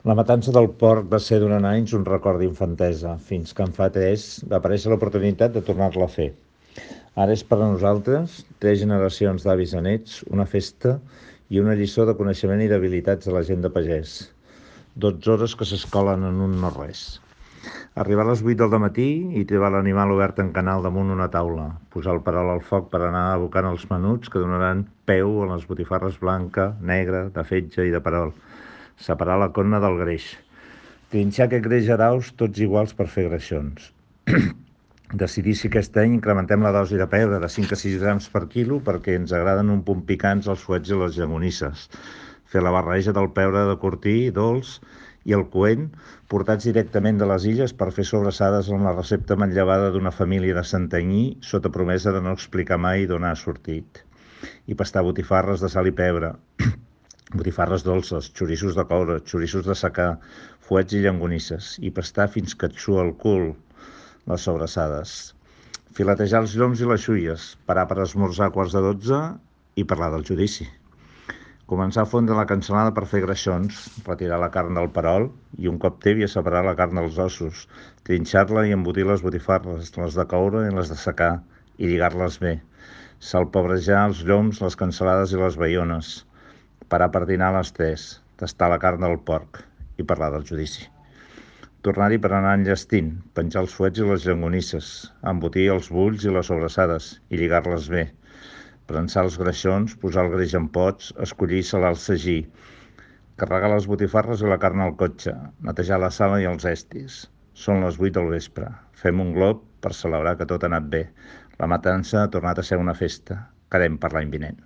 La matança del porc va ser durant anys un record d'infantesa, fins que en fa 3 va aparèixer l'oportunitat de tornar-la a fer. Ara és per a nosaltres, 3 generacions d'avis a nets, una festa i una lliçó de coneixement i d'habilitats de la gent de pagès. 12 hores que s'escolen en un no-res. Arribar a les 8 del matí i trobar l'animal obert en canal damunt una taula, posar el perol al foc per anar abocant els menuts que donaran peu a les botifarres blanca, negra, de fetge i de perol, separar la conna del greix, trinxar aquest greix a daus tots iguals per fer greixons, decidir si aquest any incrementem la dosi de pebre de 5 a 6 grams per quilo perquè ens agraden un punt picants els fuets i les llagonisses, fer la barreja del pebre de cortí, dolç, i el coent, portats directament de les illes per fer sobrassades amb la recepta manllevada d'una família de Santanyí sota promesa de no explicar mai d'on ha sortit. I pastar botifarres de sal i pebre, botifarres dolces, xoriços de coure, xoriços de secà, fuets i llangonisses, i pastar fins que et sua el cul les sobrassades. Filetejar els lloms i les xuies, parar per esmorzar a 11:15 i parlar del judici. Començar a fondre la cansalada per fer greixons, retirar la carn del perol i un cop tèbia separar la carn dels ossos, trinxar-la i embotir les botifarres, les de coure i les de secà, i lligar-les bé. Salpebrejar els lloms, les cansalades i les baiones. Parar per dinar a les 3, tastar la carn del porc i parlar del judici. Tornar-hi per anar enllestint, penjar els fuets i les llangonisses, embotir els bulls i les sobrassades i lligar-les bé. Prensar els greixons, posar el greix en pots, escollir i salar el sagí, carregar les botifarres i la carn al cotxe, netejar la sala i els estis. Són les 8 del vespre. Fem un glob per celebrar que tot ha anat bé. La matança ha tornat a ser una festa. Quedem per l'any vinent.